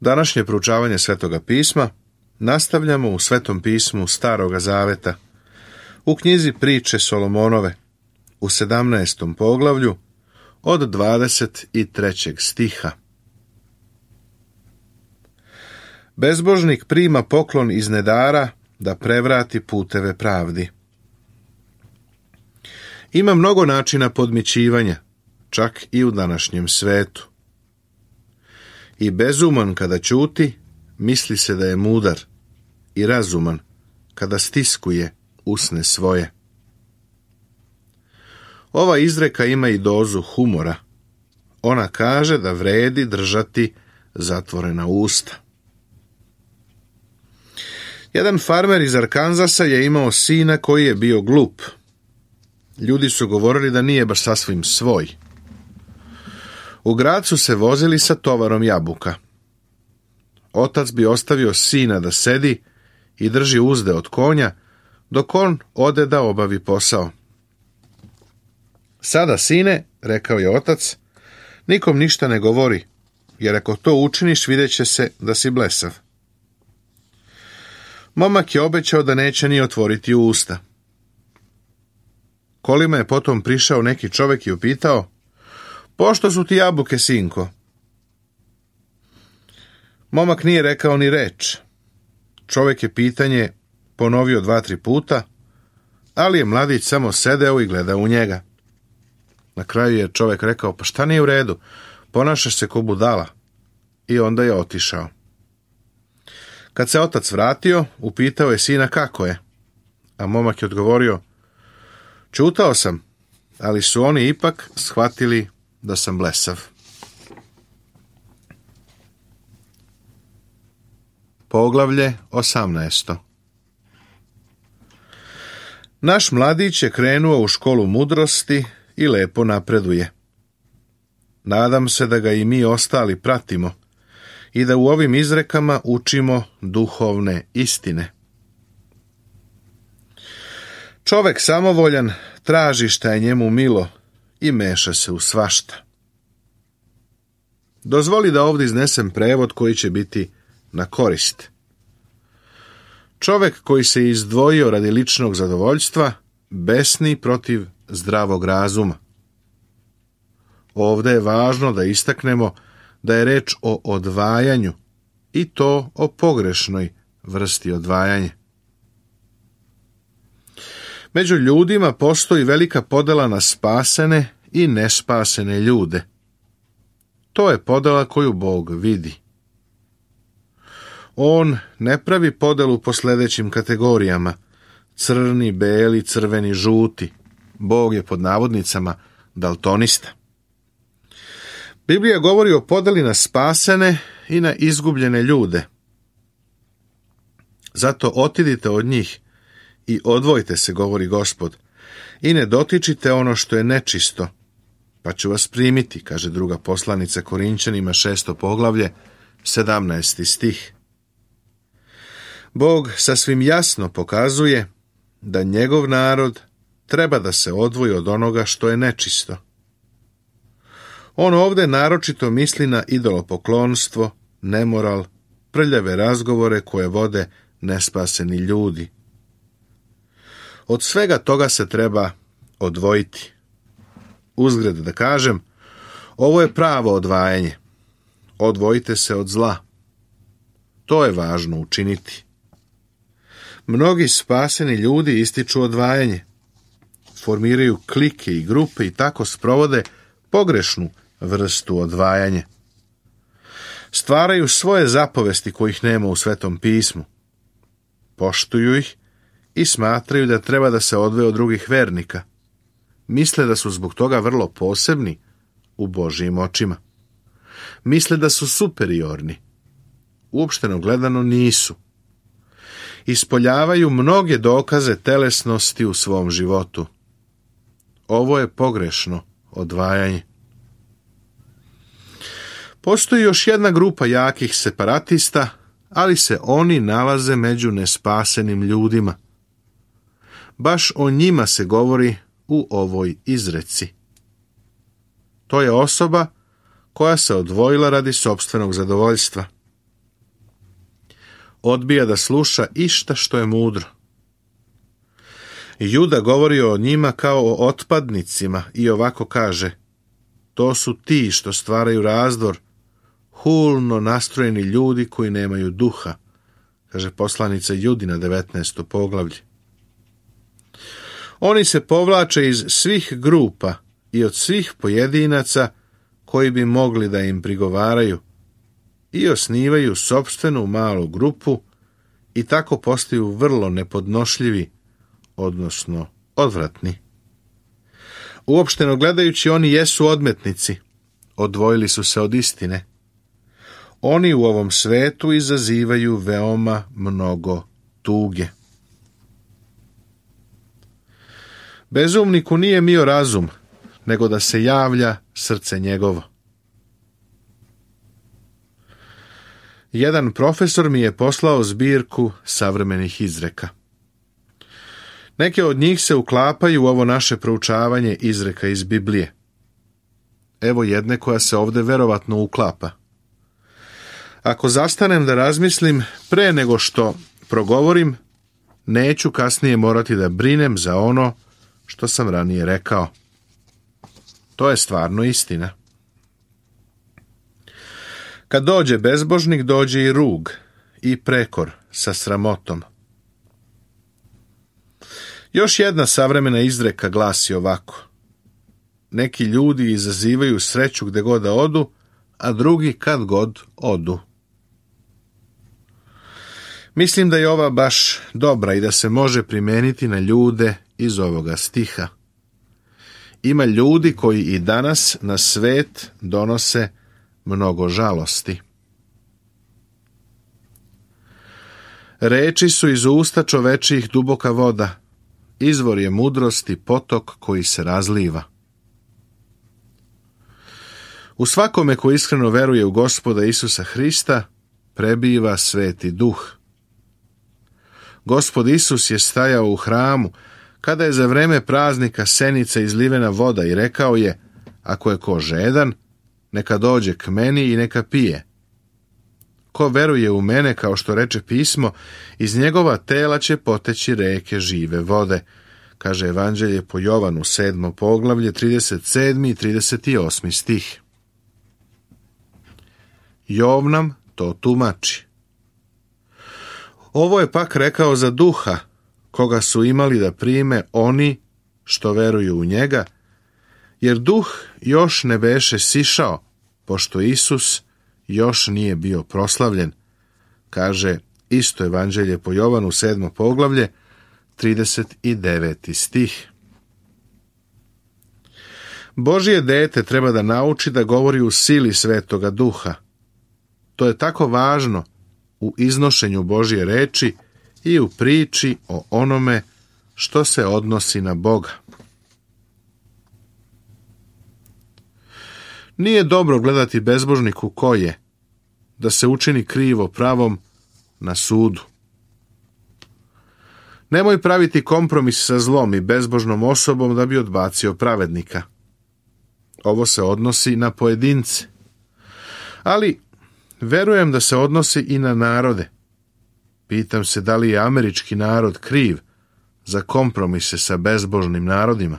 Današnje proučavanje Svetoga pisma nastavljamo u Svetom pismu Staroga zaveta, u knjizi Priče Solomonove, u 17. poglavlju, od 23. stiha. Bezbožnik prima poklon iz nedara da prevrati puteve pravdi. Ima mnogo načina podmićivanja, čak i u današnjem svetu. I bezuman kada ćuti, misli se da je mudar, i razuman kada stiskuje usne svoje. Ova izreka ima i dozu humora. Ona kaže da vredi držati zatvorena usta. Jedan farmer iz Arkanzasa je imao sina koji je bio glup. Ljudi su govorili da nije baš sasvim svoj. U grad su se vozili sa tovarom jabuka. Otac bi ostavio sina da sedi i drži uzde od konja, dok on ode da obavi posao. Sada, sine, rekao je otac, nikom ništa ne govori, jer ako to učiniš, vidjet će se da si blesav. Momak je obećao da neće ni otvoriti usta. Kolima je potom prišao neki čovjek i upitao: "Pošto su ti jabuke, sinko?" Momak nije rekao ni reč. Čovjek je pitanje ponovio 2-3 puta, ali je mladić samo sedeo i gledao u njega. Na kraju je čovjek rekao: "Pa šta nije u redu? Ponašaš se ko budala." I onda je otišao. Kad se otac vratio, upitao je sina kako je, a momak je odgovorio: "Čutao sam, ali su oni ipak shvatili da sam blesav." Poglavlje 18. Naš mladić je krenuo u školu mudrosti i lepo napreduje. Nadam se da ga i mi ostali pratimo i da u ovim izrekama učimo duhovne istine. Čovek samovoljan traži šta je njemu milo i meša se u svašta. Dozvoli da ovdje iznesem prevod koji će biti na korist. Čovek koji se izdvojio radi ličnog zadovoljstva besni protiv zdravog razuma. Ovdje je važno da istaknemo da je reč o odvajanju, i to o pogrešnoj vrsti odvajanja. Među ljudima postoji velika podela na spasene i nespasene ljude. To je podela koju Bog vidi. On ne pravi podelu po sljedećim kategorijama: crni, beli, crveni, žuti. Bog je pod navodnicama daltonista. Biblija govori o podeli na spasene i na izgubljene ljude. Zato otidite od njih i odvojite se, govori Gospod, i ne dotičite ono što je nečisto, pa ću vas primiti, kaže druga poslanica Korinćanima 6. poglavlje, 17. stih. Bog sasvim jasno pokazuje da njegov narod treba da se odvoji od onoga što je nečisto. On ovdje naročito misli na idolopoklonstvo, nemoral, prljave razgovore koje vode nespaseni ljudi. Od svega toga se treba odvojiti. Uzgred da kažem, ovo je pravo odvajanje. Odvojite se od zla. To je važno učiniti. Mnogi spaseni ljudi ističu odvajanje. Formiraju klike i grupe i tako sprovode pogrešnu vrstu odvajanja. Stvaraju svoje zapovesti kojih nema u Svetom pismu. Poštuju ih i smatraju da treba da se odvoje od drugih vernika. Misle da su zbog toga vrlo posebni u Božjim očima. Misle da su superiorni. Uopšteno gledano nisu. Ispoljavaju mnoge dokaze telesnosti u svom životu. Ovo je pogrešno odvajanje. Postoji još jedna grupa jakih separatista, ali se oni nalaze među nespasenim ljudima. Baš o njima se govori u ovoj izreci. To je osoba koja se odvojila radi sopstvenog zadovoljstva. odbija da sluša išta što je mudro. Juda govori o njima kao o otpadnicima i ovako kaže: to su ti što stvaraju razdor, hulno nastrojeni ljudi koji nemaju duha, kaže poslanica Judina 19. poglavlje. Oni se povlače iz svih grupa i od svih pojedinaca koji bi mogli da im prigovaraju i osnivaju sopstvenu malu grupu i tako postaju vrlo nepodnošljivi, odnosno odvratni. Uopšteno gledajući, oni jesu odmetnici, odvojili su se od istine. Oni u ovom svetu izazivaju veoma mnogo tuge. Bezumniku nije mio razum, nego da se javlja srce njegovo. Jedan profesor mi je poslao zbirku savremenih izreka. Neke od njih se uklapaju u ovo naše proučavanje izreka iz Biblije. Evo jedne koja se ovde verovatno uklapa. Ako zastanem da razmislim pre nego što progovorim, neću kasnije morati da brinem za ono što sam ranije rekao. To je stvarno istina. Kad dođe bezbožnik, dođe i rug i prekor sa sramotom. Još jedna savremena izreka glasi ovako: neki ljudi izazivaju sreću gde god da odu, a drugi kad god odu. Mislim da je ova baš dobra i da se može primeniti na ljude iz ovoga stiha. Ima ljudi koji i danas na svet donose mnogo žalosti. Reči su iz usta čovečijih duboka voda, izvor je mudrosti, potok koji se razliva. U svakome ko iskreno veruje u Gospoda Isusa Hrista prebiva Sveti Duh. Gospod Isus je stajao u hramu kada je za vreme praznika Senice izlivena voda i rekao je: ako je ko žedan, neka dođe k meni i neka pije. Ko veruje u mene, kao što reče pismo, iz njegova tela će poteći reke žive vode, kaže Evanđelje po Jovanu 7. poglavlje 37. i 38. stih. Jov nam to tumači. Ovo je pak rekao za Duha, koga su imali da prime oni što veruju u njega, jer Duh još ne beše sišao, pošto Isus još nije bio proslavljen, kaže isto Evanđelje po Jovanu 7. poglavlje 39. stih. Božje dete treba da nauči da govori u sili Svetoga Duha. To je tako važno u iznošenju Božje reči i u priči o onome što se odnosi na Boga. Nije dobro gledati bezbožniku ko je, da se učini krivo pravom na sudu. Nemoj praviti kompromis sa zlom i bezbožnom osobom da bi odbacio pravednika. Ovo se odnosi na pojedince. Ali verujem da se odnosi i na narode. Pitam se da li je američki narod kriv za kompromise sa bezbožnim narodima.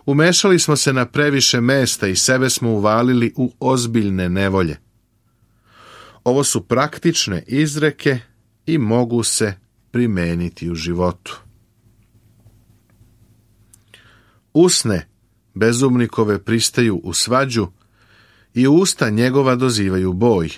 Umešali smo se na previše mesta i sebe smo uvalili u ozbiljne nevolje. Ovo su praktične izreke i mogu se primeniti u životu. Usne bezumnikove pristaju u svađu i usta njegova dozivaju boj.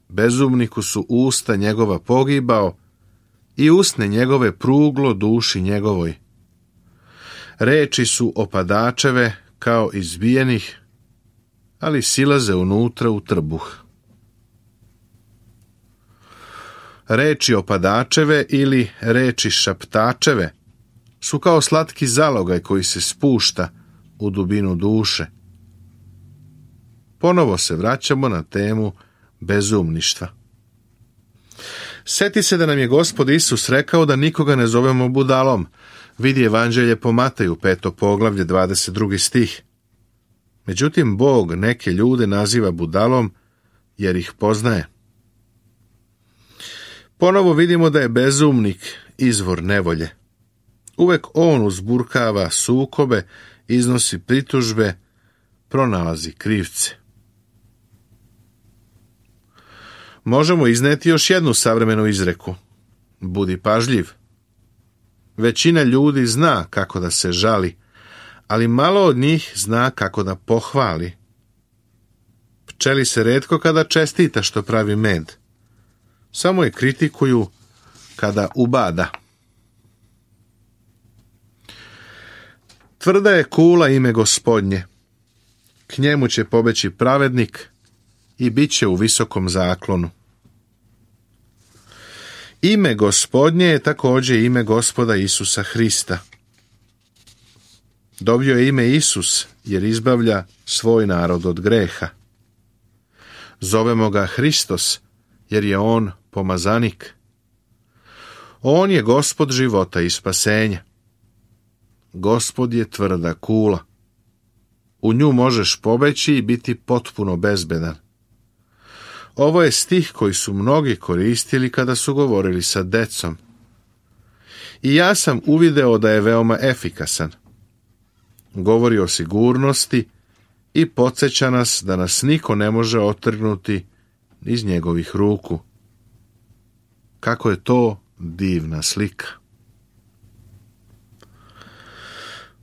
Bezumniku su usta njegova pogibao i usne njegove pruglo duši njegovoj. Reči su opadačeve kao izbijenih, ali silaze unutra u trbuh. Reči opadačeve ili reči šaptačeve su kao slatki zalogaj koji se spušta u dubinu duše. Ponovo se vraćamo na temu bezumništva. Seti se da nam je Gospod Isus rekao da nikoga ne zovemo budalom. Vidi Evanđelje po Mateju 5. poglavlje 22. stih. Međutim, Bog neke ljude naziva budalom jer ih poznaje. Ponovo vidimo da je bezumnik izvor nevolje. Uvek on uzburkava sukobe, iznosi pritužbe, pronalazi krivce. Možemo izneti još jednu savremenu izreku. Budi pažljiv. Većina ljudi zna kako da se žali, ali malo od njih zna kako da pohvali. Pčeli se retko kada čestita što pravi med. Samo je kritikuju kada ubada. Tvrda je kula ime Gospodnje. K njemu će pobeći pravednik i bit će u visokom zaklonu. Ime Gospodnje je također ime Gospoda Isusa Hrista. Dobio je ime Isus jer izbavlja svoj narod od greha. Zovemo ga Hristos jer je on pomazanik. On je Gospod života i spasenja. Gospod je tvrda kula. U nju možeš pobeći i biti potpuno bezbedan. Ovo je stih koji su mnogi koristili kada su govorili sa decom. I ja sam uvideo da je veoma efikasan. Govori o sigurnosti i podsjeća nas da nas niko ne može otrgnuti iz njegovih ruku. Kako je to divna slika.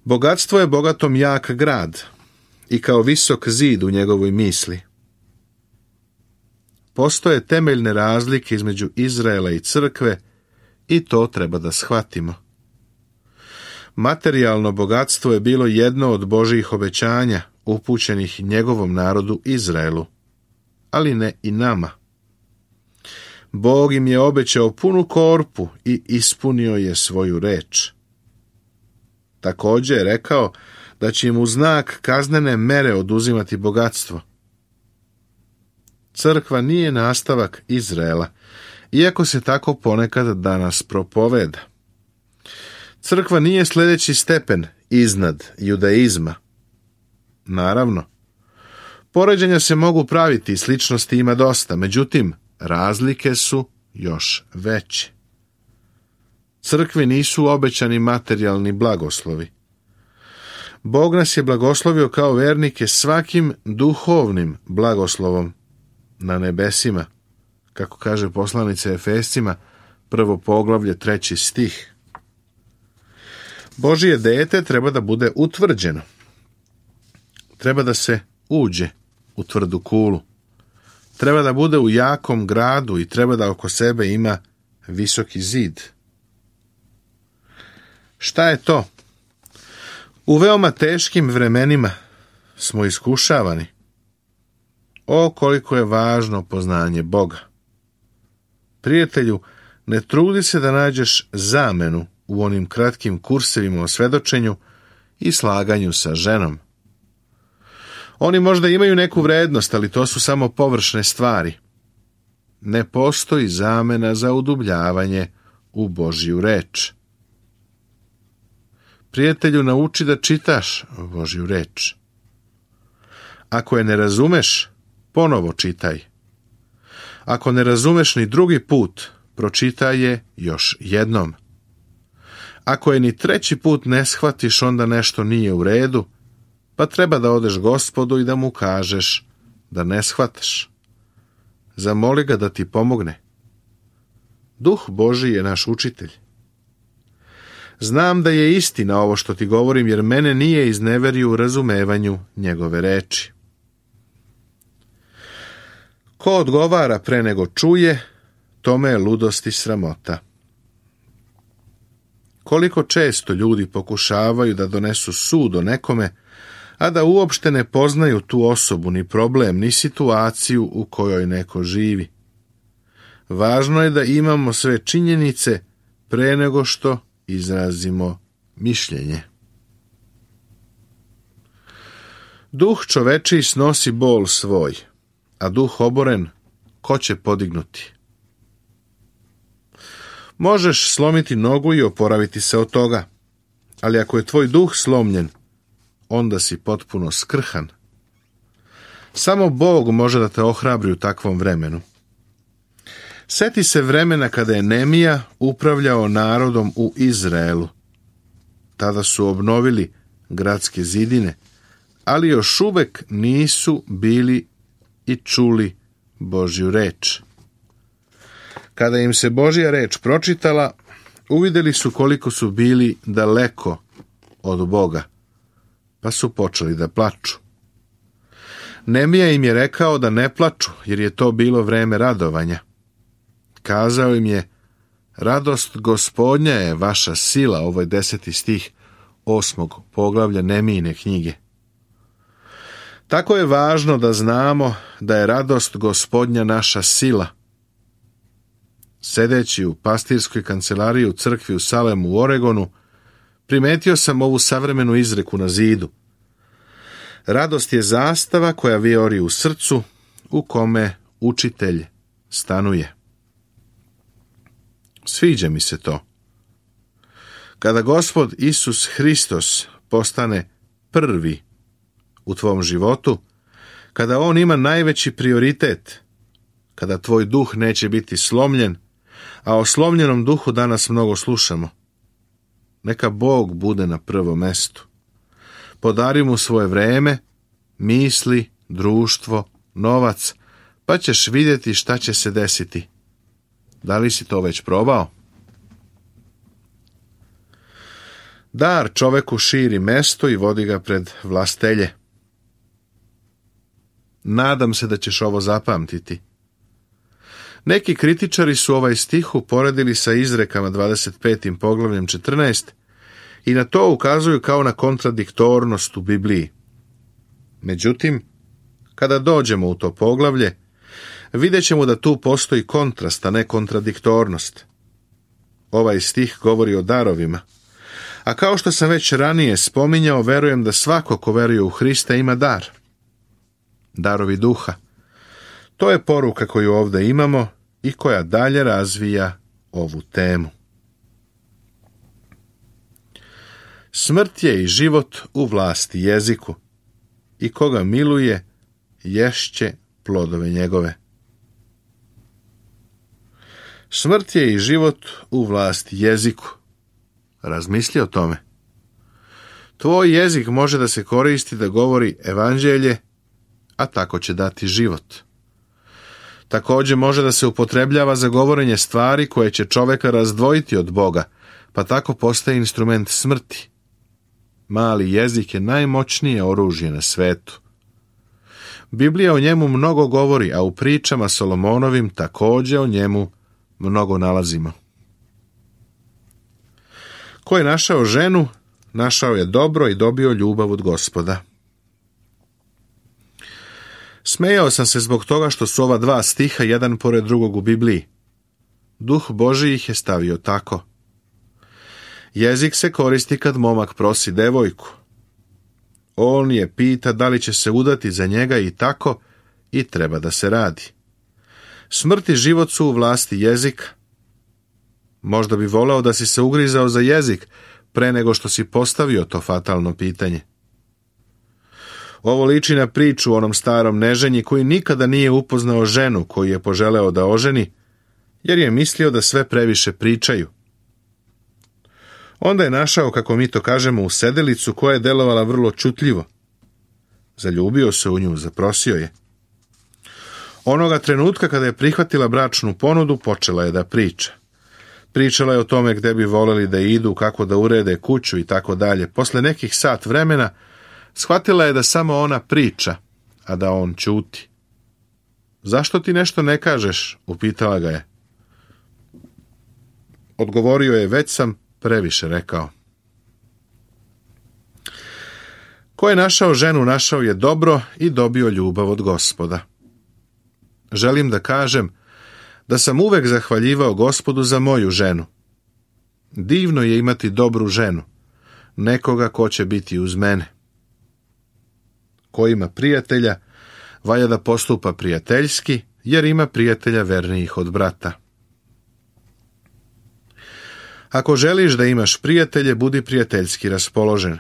Bogatstvo je bogatom jak grad i kao visok zid u njegovoj misli. Postoje temeljne razlike između Izraela i crkve i to treba da shvatimo. Materijalno bogatstvo je bilo jedno od Božjih obećanja upućenih njegovom narodu Izraelu, ali ne i nama. Bog im je obećao punu korpu i ispunio je svoju reč. Također je rekao da će im u znak kaznene mere oduzimati bogatstvo. Crkva nije nastavak Izraela, iako se tako ponekad danas propoveda. Crkva nije sljedeći stepen iznad judaizma. Naravno, poređenja se mogu praviti i sličnosti ima dosta, međutim, razlike su još veće. Crkvi nisu obećani materijalni blagoslovi. Bog nas je blagoslovio kao vernike svakim duhovnim blagoslovom na nebesima, kako kaže poslanica Efescima, 1. poglavlje, 3. stih. Božje dete treba da bude utvrđeno. Treba da se uđe u tvrdu kulu. Treba da bude u jakom gradu i treba da oko sebe ima visoki zid. Šta je to? U veoma teškim vremenima smo iskušavani. O, koliko je važno poznanje Boga. Prijatelju, ne trudi se da nađeš zamenu u onim kratkim kursevima o svedočenju i slaganju sa ženom. Oni možda imaju neku vrednost, ali to su samo površne stvari. Ne postoji zamena za udubljavanje u Božju reč. Prijatelju, nauči da čitaš Božju reč. Ako je ne razumeš, ponovo čitaj. Ako ne razumeš ni drugi put, pročitaj je još jednom. Ako je ni treći put ne shvatiš, onda nešto nije u redu, pa treba da odeš Gospodu i da mu kažeš da ne shvataš. Zamoli ga da ti pomogne. Duh Božji je naš učitelj. Znam da je istina ovo što ti govorim, jer mene nije izneverio u razumevanju njegove reči. Ko odgovara pre nego čuje, tome je ludost i sramota. Koliko često ljudi pokušavaju da donesu sud o nekome, a da uopšte ne poznaju tu osobu, ni problem, ni situaciju u kojoj neko živi. Važno je da imamo sve činjenice pre nego što izrazimo mišljenje. Duh čovečiji snosi bol svoj, a duh oboren ko će podignuti? Možeš slomiti nogu i oporaviti se od toga, ali ako je tvoj duh slomljen, onda si potpuno skrhan. Samo Bog može da te ohrabri u takvom vremenu. Seti se vremena kada je Nemija upravljao narodom u Izraelu. Tada su obnovili gradske zidine, ali još uvek nisu bili i čuli Božju reč. Kada im se Božja reč pročitala, uvidjeli su koliko su bili daleko od Boga, pa su počeli da plaču. Nemija im je rekao da ne plaču, jer je to bilo vreme radovanja. Kazao im je: radost Gospodnja je vaša sila, ovo je 10. stih 8. poglavlja Nemijine knjige. Tako je važno da znamo da je radost Gospodnja naša sila. Sedeći u pastirskoj kancelariji u crkvi u Salemu u Oregonu, primetio sam ovu savremenu izreku na zidu. Radost je zastava koja vijori u srcu, u kome učitelj stanuje. Sviđa mi se to. Kada Gospod Isus Hristos postane prvi u tvom životu, kada on ima najveći prioritet, kada tvoj duh neće biti slomljen, a o slomljenom duhu danas mnogo slušamo, neka Bog bude na prvom mestu. Podari mu svoje vreme, misli, društvo, novac, pa ćeš vidjeti šta će se desiti. Da li si to već probao? Dar čoveku širi mesto i vodi ga pred vlastelje. Nadam se da ćeš ovo zapamtiti. Neki kritičari su ovaj stih uporedili sa izrekama 25. poglavljem 14 i na to ukazuju kao na kontradiktornost u Bibliji. Međutim, kada dođemo u to poglavlje, vidjet ćemo da tu postoji kontrast, a ne kontradiktornost. Ovaj stih govori o darovima. A kao što sam već ranije spominjao, verujem da svako ko veruje u Hrista ima dar. Darovi duha. To je poruka koju ovdje imamo i koja dalje razvija ovu temu. Smrt je i život u vlasti jeziku, i koga miluje, ješće plodove njegove. Smrt je i život u vlasti jeziku. Razmisli o tome. Tvoj jezik može da se koristi da govori evanđelje, a tako će dati život. Također može da se upotrebljava za govorenje stvari koje će čoveka razdvojiti od Boga, pa tako postaje instrument smrti. Mali jezik je najmoćnije oružje na svetu. Biblija o njemu mnogo govori, a u pričama Solomonovim također o njemu mnogo nalazimo. Ko je našao ženu, našao je dobro i dobio ljubav od Gospoda. Smejao sam se zbog toga što su ova dva stiha jedan pored drugog u Bibliji. Duh Božji ih je stavio tako. Jezik se koristi kad momak prosi devojku. On je pita da li će se udati za njega i tako, i treba da se radi. Smrt i život su u vlasti jezika. Možda bi voleo da si se ugrizao za jezik pre nego što si postavio to fatalno pitanje. Ovo liči na priču o onom starom neženji koji nikada nije upoznao ženu koju je poželeo da oženi, jer je mislio da sve previše pričaju. Onda je našao, kako mi to kažemo, usedelicu koja je delovala vrlo čutljivo. Zaljubio se u nju, zaprosio je. Onoga trenutka kada je prihvatila bračnu ponudu, počela je da priča. Pričala je o tome gde bi voleli da idu, kako da urede kuću i tako dalje. Posle nekih sat vremena shvatila je da samo ona priča, a da on ćuti. Zašto ti nešto ne kažeš? Upitala ga je. Odgovorio je, već sam previše rekao. Ko je našao ženu, našao je dobro i dobio ljubav od Gospoda. Želim da kažem da sam uvek zahvaljivao Gospodu za moju ženu. Divno je imati dobru ženu, nekoga ko će biti uz mene. Ko ima prijatelja, valja da postupa prijateljski, jer ima prijatelja vernijih od brata. Ako želiš da imaš prijatelje, budi prijateljski raspoložen.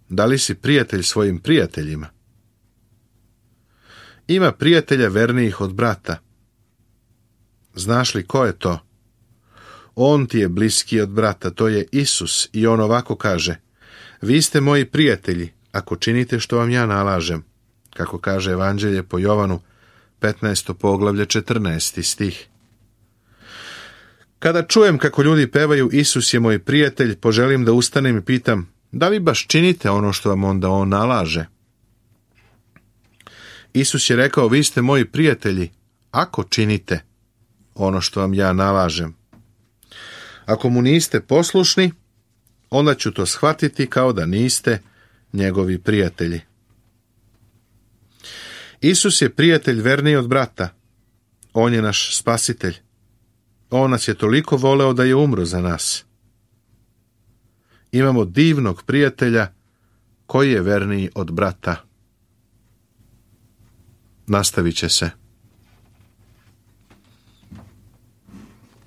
Da li si prijatelj svojim prijateljima? Ima prijatelja vernijih od brata. Znaš li ko je to? On ti je bliski od brata, to je Isus, i on ovako kaže: vi ste moji prijatelji, ako činite što vam ja nalažem, kako kaže Evanđelje po Jovanu, 15. poglavlje, 14. stih. Kada čujem kako ljudi pevaju Isus je moj prijatelj, poželim da ustanem i pitam: da li baš činite ono što vam onda on nalaže? Isus je rekao: vi ste moji prijatelji, ako činite ono što vam ja nalažem. Ako mu niste poslušni, onda ću to shvatiti kao da niste njegovi prijatelji. Isus je prijatelj verniji od brata. On je naš spasitelj. On nas je toliko voleo da je umro za nas. Imamo divnog prijatelja koji je verniji od brata. Nastavit će se.